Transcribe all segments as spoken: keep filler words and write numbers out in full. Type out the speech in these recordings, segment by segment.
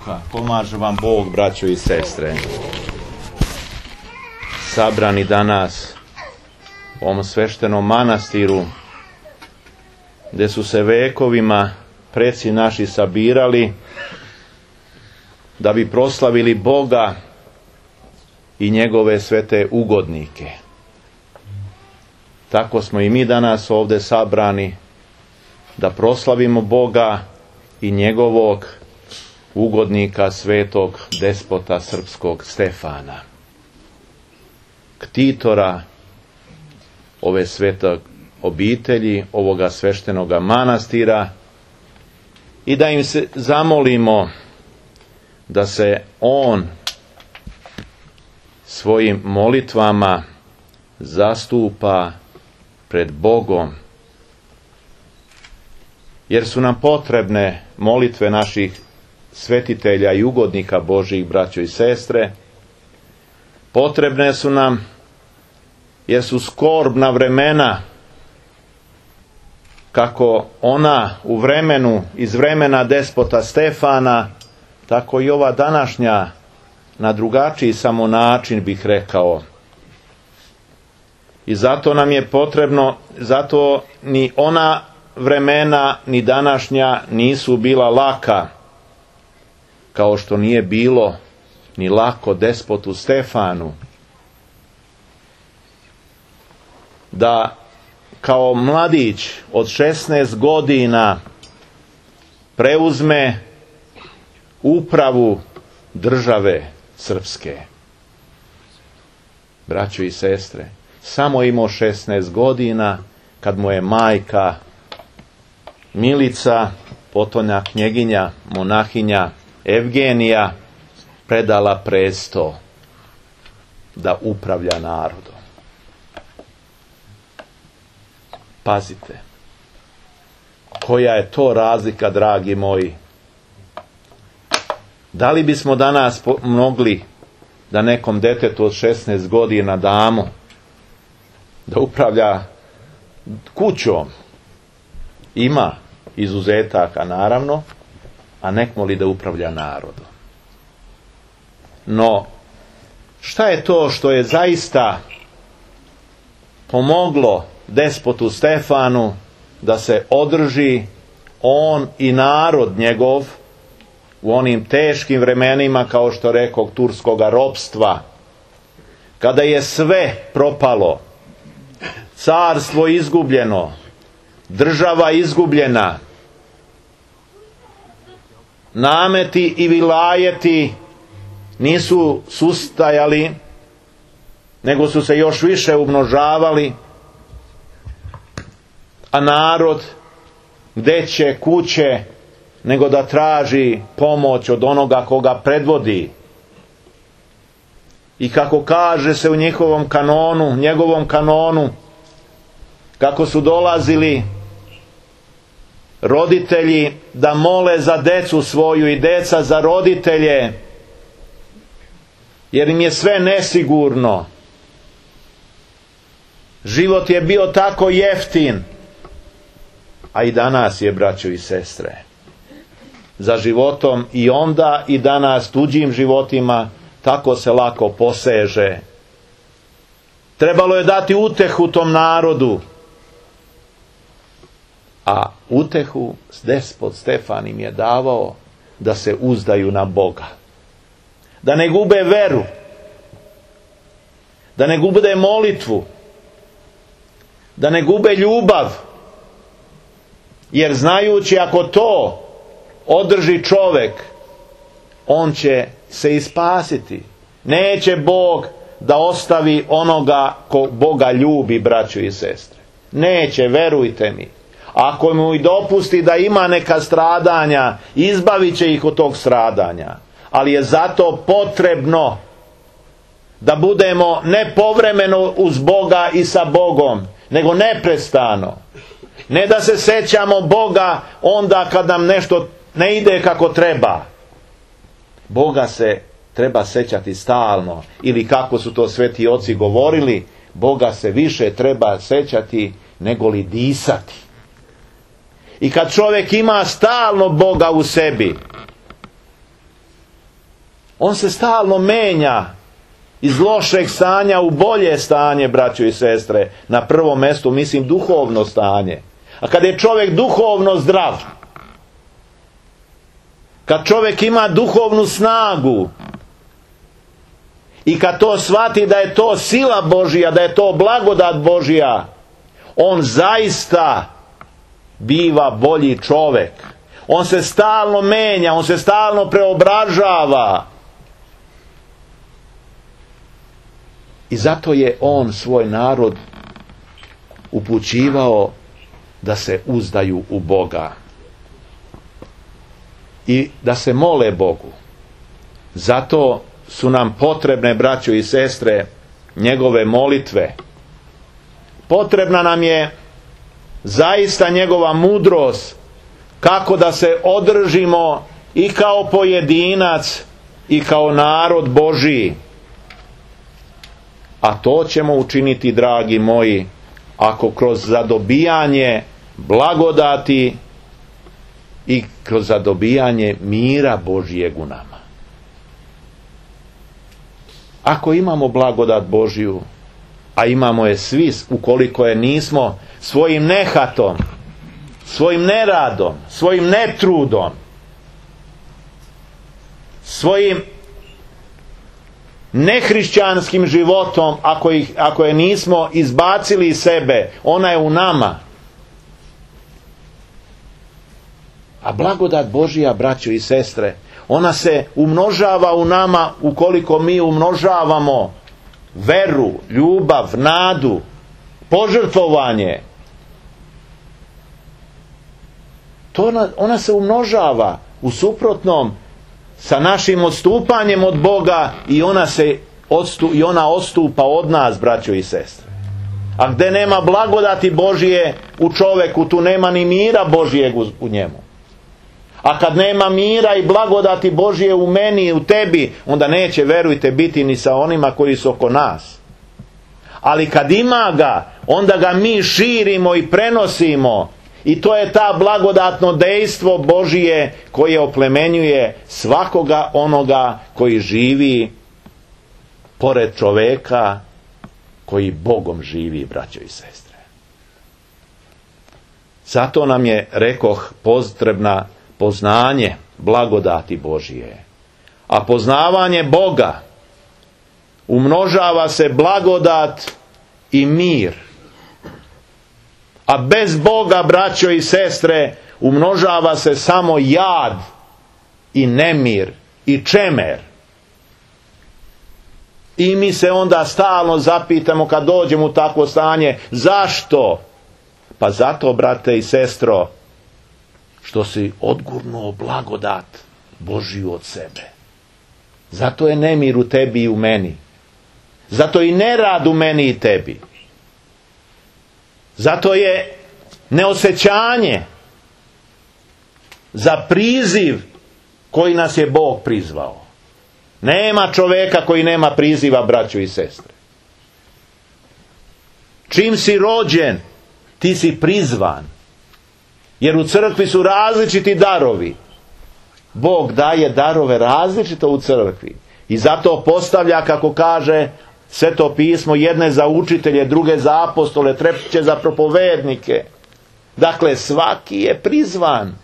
Duha. Pomaže vam Bog, braćo i sestre. Sabrani danas u ovom sveštenom manastiru, gdje su se vekovima preci naši sabirali da bi proslavili Boga i njegove svete ugodnike. Tako smo i mi danas ovdje sabrani da proslavimo Boga i njegovog ugodnika, svetog despota srpskog Stefana, ktitora ove svete obitelji, ovoga sveštenoga manastira, i da im se zamolimo da se on svojim molitvama zastupa pred Bogom, jer su nam potrebne molitve naših svetitelja i ugodnika Božjih, braćo i sestre. Potrebne su nam jer su skorbna vremena, kako ona u vremenu, iz vremena despota Stefana, tako i ova današnja na drugačiji samo način, bih rekao. I zato nam je potrebno, zato ni ona vremena ni današnja nisu bila laka, kao što nije bilo ni lako despotu Stefanu, da kao mladić od šesnaest godina preuzme upravu države srpske. Braćo i sestre, samo imao šesnaest godina kad mu je majka Milica, potonja knjeginja, monahinja Evgenija, predala presto da upravlja narodom. Pazite, koja je to razlika, dragi moji. Da li bismo danas mogli da nekom detetu od šesnaest godina damo da upravlja kućom? Ima izuzetaka, naravno, a nekmo li da upravlja narodom. No, šta je to što je zaista pomoglo despotu Stefanu da se održi on i narod njegov u onim teškim vremenima, kao što rekao, turskoga ropstva, kada je sve propalo, carstvo izgubljeno, država izgubljena, nameti i vilajeti nisu sustajali, nego su se još više umnožavali, a narod gde će kuće nego da traži pomoć od onoga koga predvodi. I kako kaže se u njihovom kanonu, njegovom kanonu, kako su dolazili roditelji da mole za decu svoju i deca za roditelje, jer im je sve nesigurno. Život je bio tako jeftin, a i danas je, braćo i sestre. Za životom i onda i danas, tuđim životima, tako se lako poseže. Trebalo je dati utehu tom narodu, a utehu despot Stefan im je davao da se uzdaju na Boga, da ne gube veru, da ne gube molitvu, da ne gube ljubav, jer znajući ako to održi čovjek, on će se i spasiti. Neće Bog da ostavi onoga ko Boga ljubi, braćo i sestre. Neće, verujte mi. Ako mu i dopusti da ima neka stradanja, izbavit će ih od tog stradanja. Ali je zato potrebno da budemo ne povremeno uz Boga i sa Bogom, nego neprestano. Ne da se sećamo Boga onda kad nam nešto ne ide kako treba. Boga se treba sećati stalno, ili kako su to sveti oci govorili, Boga se više treba sećati nego li disati. I kad čovjek ima stalno Boga u sebi, On se stalno menja iz lošeg stanja u bolje stanje, braćo i sestre. Na prvom mjestu mislim duhovno stanje. A kad je čovjek duhovno zdrav, kad čovjek ima duhovnu snagu i kad to shvati da je to sila Božija, da je to blagodat Božija, on zaista biva bolji čovjek. On se stalno menja, on se stalno preobražava. I zato je on svoj narod upućivao da se uzdaju u Boga i da se mole Bogu. Zato su nam potrebne, braćo i sestre, njegove molitve. Potrebna nam je zaista njegova mudrost kako da se održimo i kao pojedinac i kao narod Božiji. A to ćemo učiniti, dragi moji, ako kroz zadobijanje blagodati i kroz zadobijanje mira Božijeg u nama. Ako imamo blagodat Božiju, a imamo je svi, ukoliko je nismo svojim nehatom, svojim neradom, svojim netrudom, svojim nehrišćanskim životom, ako, ih, ako je nismo izbacili iz sebe, ona je u nama. A blagodat Božija, braćo i sestre, ona se umnožava u nama ukoliko mi umnožavamo veru, ljubav, nadu, požrtvovanje. To ona, ona se umnožava. U suprotnom, sa našim odstupanjem od Boga i ona se odstu, i ona odstupa od nas, braćo i sestre. A gdje nema blagodati Božije u čoveku, tu nema ni mira Božijeg u, u njemu. A kad nema mira i blagodati Božije u meni i u tebi, onda neće, verujte, biti ni sa onima koji su oko nas. Ali kad ima ga, onda ga mi širimo i prenosimo. I to je ta blagodatno dejstvo Božije koje oplemenjuje svakoga onoga koji živi pored čoveka koji Bogom živi, braćo i sestre. Zato nam je, rekoh, potrebna poznanje blagodati Božije. A poznavanje Boga umnožava se blagodat i mir. A bez Boga, braćo i sestre, umnožava se samo jad i nemir i čemer. I mi se onda stalno zapitamo kad dođemo u takvo stanje, zašto? Pa zato, brate i sestro, što si odgurnuo blagodat Božiju od sebe. Zato je nemir u tebi i u meni. Zato i nerad u meni i tebi. Zato je neosjećanje za priziv koji nas je Bog prizvao. Nema čovjeka koji nema priziva, braćo i sestre. Čim si rođen, ti si prizvan. Jer u crkvi su različiti darovi. Bog daje darove različito u crkvi. I zato postavlja, kako kaže Sveto pismo, jedne za učitelje, druge za apostole, treće za propovednike. Dakle, svaki je prizvan.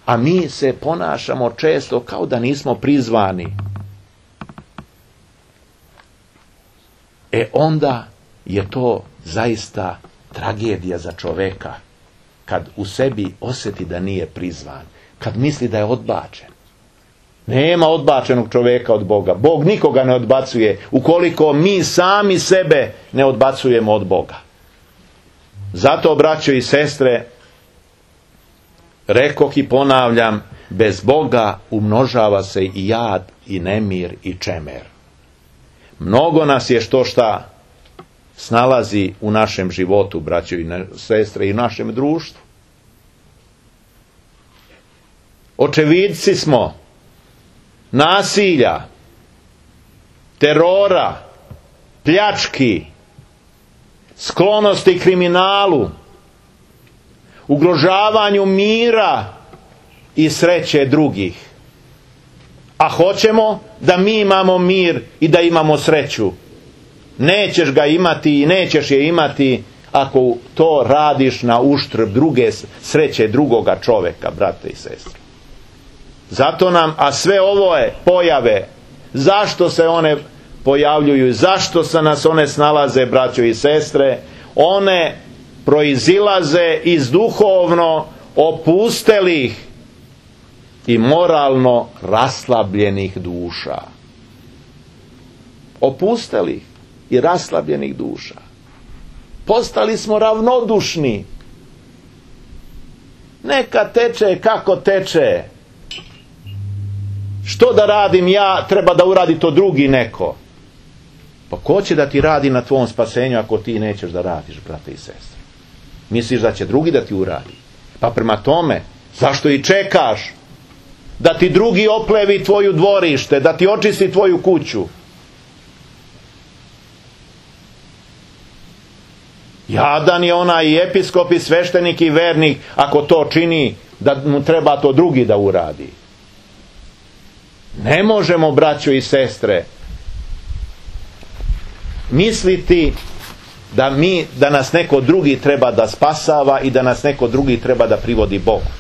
A mi se ponašamo često kao da nismo prizvani. E onda je to zaista tragedija za čoveka. Kad u sebi osjeti da nije prizvan. Kad misli da je odbačen. Nema odbačenog čovjeka od Boga. Bog nikoga ne odbacuje ukoliko mi sami sebe ne odbacujemo od Boga. Zato, braćo i sestre, rekoh i ponavljam, bez Boga umnožava se i jad i nemir i čemer. Mnogo nas je što šta snalazi u našem životu, braćo i sestre, i u našem društvu. Očevidci smo nasilja, terora, pljački, sklonosti kriminalu, ugrožavanju mira i sreće drugih. A hoćemo da mi imamo mir i da imamo sreću. Nećeš ga imati i nećeš je imati ako to radiš na uštrb druge sreće drugoga čoveka, brate i sestre. Zato nam, a sve ovo je pojave, zašto se one pojavljuju, zašto se nas one snalaze, braćo i sestre, one proizilaze iz duhovno opustelih i moralno raslabljenih duša. Opustelih i raslabljenih duša. Postali smo ravnodušni. Neka teče kako teče. Što da radim ja, treba da uradi to drugi neko. Pa ko će da ti radi na tvom spasenju ako ti nećeš da radiš, brate i sestre? Misliš da će drugi da ti uradi? Pa prema tome, zašto i čekaš da ti drugi oplevi tvoju dvorište, da ti očisti tvoju kuću? Jadan je onaj i episkop i sveštenik i vernik ako to čini, da mu treba to drugi da uradi. Ne možemo, braćo i sestre, misliti da mi, da nas neko drugi treba da spasava i da nas neko drugi treba da privodi Bogu.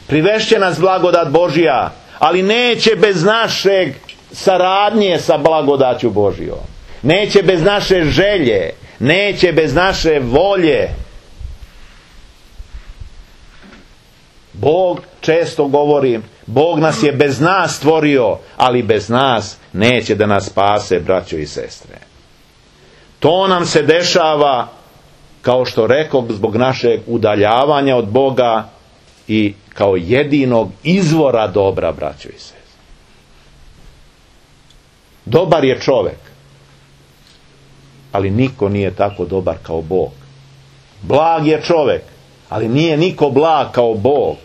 Privešće nas blagodat Božja, ali neće bez našeg saradnje sa blagodaću Božjom. Neće bez naše želje, neće bez naše volje. Bog, često govorim, Bog nas je bez nas stvorio, ali bez nas neće da nas spase, braćo i sestre. To nam se dešava, kao što rekoh, zbog našeg udaljavanja od Boga i kao jedinog izvora dobra, braćo i sestre. Dobar je čovek, ali niko nije tako dobar kao Bog. Blag je čovek, ali nije niko blag kao Bog.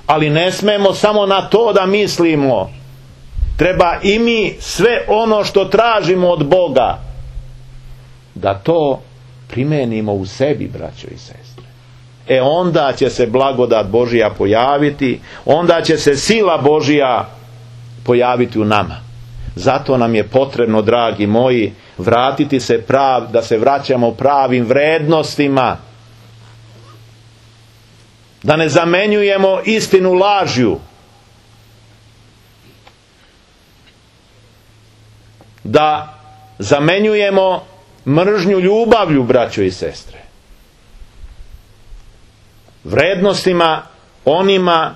Ali ne smemo samo na to da mislimo. Treba i mi sve ono što tražimo od Boga da to primenimo u sebi, braćo i sestre. E onda će se blagodat Božja pojaviti, onda će se sila Božja pojaviti u nama. Zato nam je potrebno, dragi moji, vratiti se prav, da se vraćamo pravim vrednostima. Da ne zamenjujemo istinu lažju. Da zamenjujemo mržnju ljubavlju, braćo i sestre. Vrednostima onima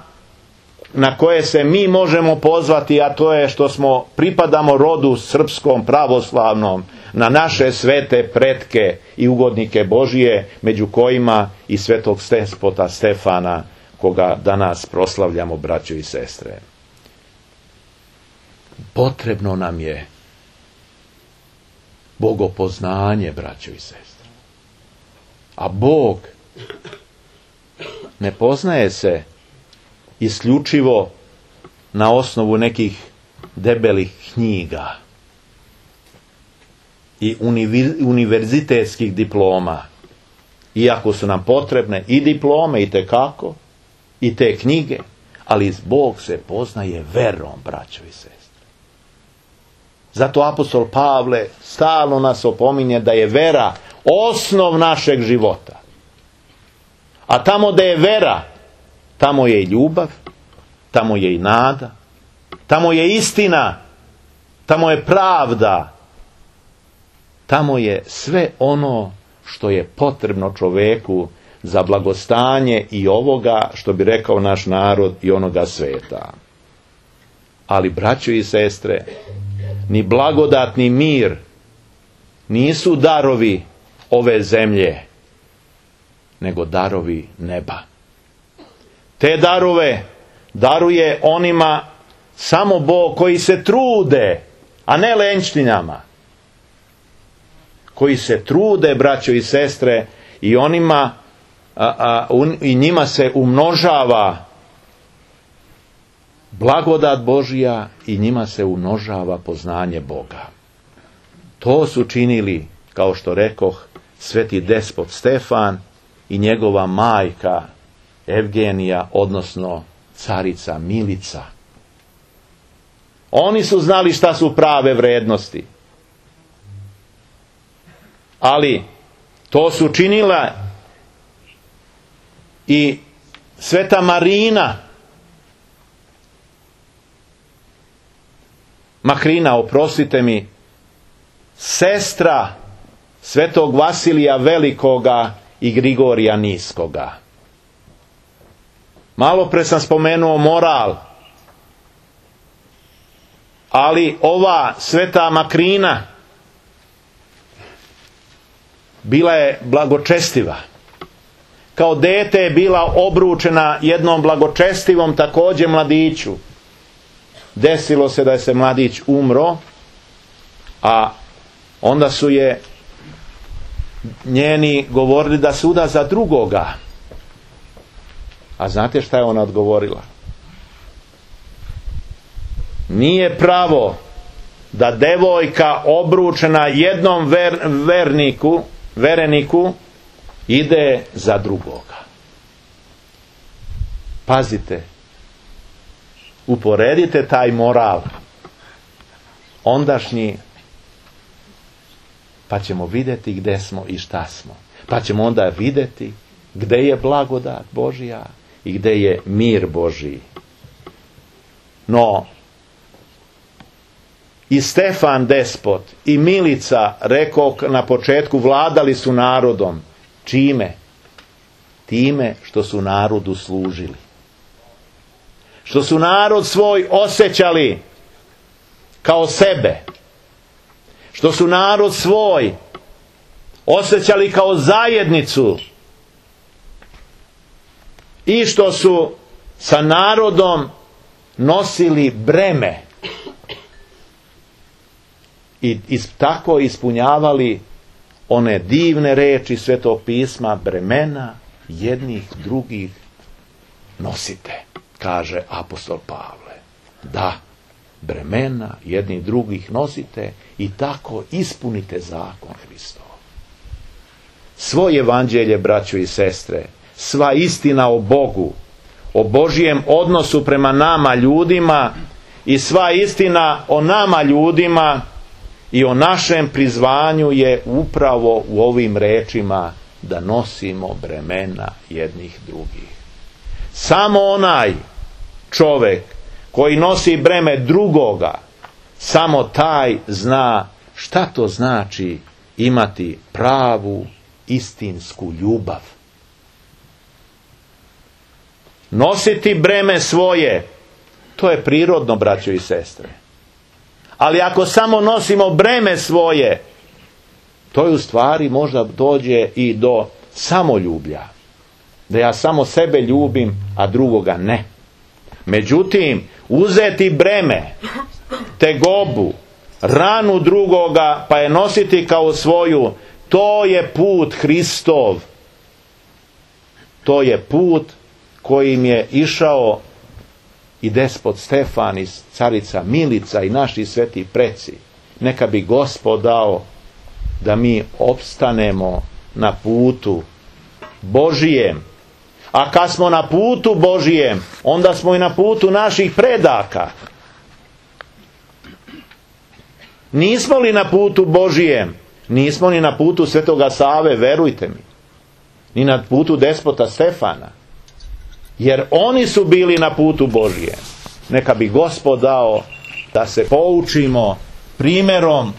na koje se mi možemo pozvati, a to je što smo pripadamo rodu srpskom, pravoslavnom, na naše svete pretke i ugodnike Božije, među kojima i svetog despota Stefana, koga danas proslavljamo, braćo i sestre. Potrebno nam je bogopoznanje, braćo i sestre. A Bog ne poznaje se isključivo na osnovu nekih debelih knjiga i univerzitetskih diploma. Iako su nam potrebne i diplome i tekako, i te knjige, ali Bog se poznaje verom, braćo i sestre. Zato apostol Pavle stalno nas opominje da je vera osnov našeg života. A tamo da je vera, tamo je i ljubav, tamo je i nada, tamo je istina, tamo je pravda, tamo je sve ono što je potrebno čoveku za blagostanje i ovoga, što bi rekao naš narod, i onoga sveta. Ali, braćo i sestre, ni blagodat ni mir nisu darovi ove zemlje, nego darovi neba. Te darove daruje onima samo Bog koji se trude, a ne lenjštinama. Koji se trude, braćo i sestre, i onima a, a, un, i njima se umnožava blagodat Božja i njima se umnožava poznanje Boga. To su činili, kao što rekoh, sveti despot Stefan i njegova majka Evgenija, odnosno carica Milica. Oni su znali šta su prave vrednosti. Ali to su činila i Sveta Marina, Makrina, oprostite mi, sestra Svetog Vasilija Velikoga i Grigorija Niskoga. Malo pre sam spomenuo moral, ali ova Sveta Makrina bila je blagočestiva. Kao dete je bila obručena jednom blagočestivom također mladiću. Desilo se da je se mladić umro, a onda su je njeni govorili da se uda za drugoga. A znate šta je ona odgovorila? Nije pravo da devojka obručena jednom ver, verniku, vereniku ide za drugoga. Pazite, uporedite taj moral ondašnji, pa ćemo vidjeti gdje smo i šta smo. Pa ćemo onda vidjeti gdje je blagodat Božja i gdje je mir Božji. No, i Stefan Despot i Milica, rekao na početku, vladali su narodom. Čime? Time što su narodu služili. Što su narod svoj osjećali kao sebe. Što su narod svoj osjećali kao zajednicu. I što su sa narodom nosili breme. I, i tako ispunjavali one divne reči Svetog pisma, bremena jednih drugih nosite, kaže apostol Pavle. Da, bremena jednih drugih nosite i tako ispunite zakon Hristov. Svoje evanđelje, braćo i sestre, sva istina o Bogu, o Božjem odnosu prema nama ljudima i sva istina o nama ljudima i o našem prizvanju je upravo u ovim rečima da nosimo bremena jednih drugih. Samo onaj čovjek koji nosi breme drugoga, samo taj zna šta to znači imati pravu istinsku ljubav. Nositi breme svoje, to je prirodno, braćo i sestre. Ali ako samo nosimo breme svoje, to je u stvari možda dođe i do samoljublja. Da ja samo sebe ljubim, a drugoga ne. Međutim, uzeti breme, tegobu, ranu drugoga, pa je nositi kao svoju, to je put Hristov. To je put kojim je išao i despot Stefan, i carica Milica i naši sveti preci. Neka bi Gospod dao da mi opstanemo na putu Božijem. A kad smo na putu Božijem, onda smo i na putu naših predaka. Nismo li na putu Božijem, nismo ni na putu Svetoga Save, verujte mi. Ni na putu despota Stefana. Jer oni su bili na putu Božijem. Neka bi Gospod dao da se poučimo primjerom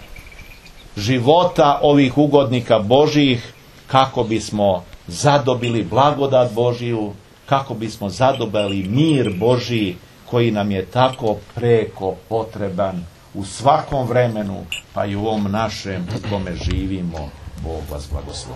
života ovih ugodnika Božjih, kako bismo zadobili blagodat Božiju, kako bismo zadobili mir Božji koji nam je tako preko potreban u svakom vremenu, pa i u ovom našem u kome živimo. Bog vas blagoslovi.